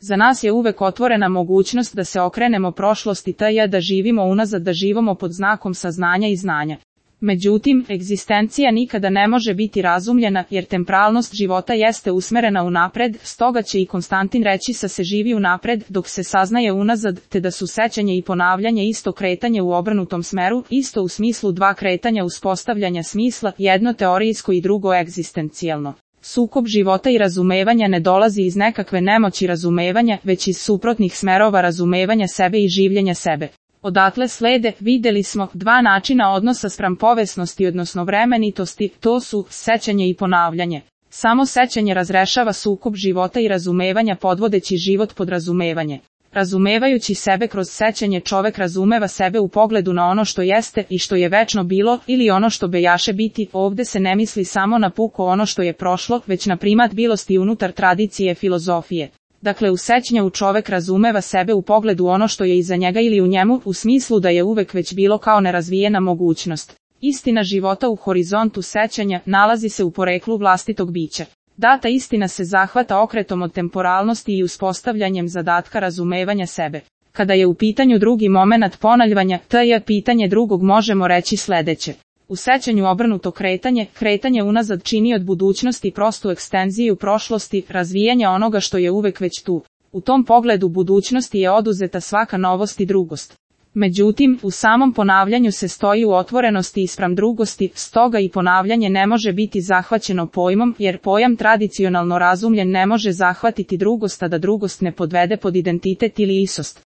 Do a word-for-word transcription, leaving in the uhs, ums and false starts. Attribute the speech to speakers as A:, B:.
A: Za nas je uvek otvorena mogućnost da se okrenemo prošlosti tj. da živimo unazad, da živimo pod znakom saznanja i znanja. Međutim, egzistencija nikada ne može biti razumljena, jer temporalnost života jeste usmerena unapred, stoga će i Konstantin reći sa se živi unapred, dok se saznaje unazad, te da su sećanje i ponavljanje isto kretanje u obrnutom smeru, isto u smislu dva kretanja uspostavljanja smisla, jedno teorijsko i drugo egzistencijalno. Sukob života i razumevanja ne dolazi iz nekakve nemoći razumevanja, već iz suprotnih smerova razumevanja sebe i življenja sebe. Odatle slede, videli smo, dva načina odnosa spram povesnosti odnosno vremenitosti, to su sećanje i ponavljanje. Samo sećanje razrešava sukob života i razumevanja podvodeći život pod razumevanje. Razumevajući sebe kroz sećanje čovek razumeva sebe u pogledu na ono što jeste i što je večno bilo ili ono što bejaše biti. Ovde se ne misli samo na puko ono što je prošlo, već na primat bilosti unutar tradicije filozofije. Dakle, u sećanju čovek razumeva sebe u pogledu ono što je iza njega ili u njemu, u smislu da je uvek već bilo kao nerazvijena mogućnost. Istina života u horizontu sećanja nalazi se u poreklu vlastitog bića. Data istina se zahvata okretom od temporalnosti i uspostavljanjem zadatka razumevanja sebe. Kada je u pitanju drugi momenat ponavljanja, tj. pitanje drugog, možemo reći sledeće. U sećanju obrnuto kretanje, kretanje unazad čini od budućnosti prostu ekstenziju prošlosti, razvijanje onoga što je uvek već tu. U tom pogledu budućnosti je oduzeta svaka novost i drugost. Međutim, u samom ponavljanju se stoji u otvorenosti ispram drugosti, stoga i ponavljanje ne može biti zahvaćeno pojmom, jer pojam tradicionalno razumljen ne može zahvatiti drugost, a da drugost ne podvede pod identitet ili istost.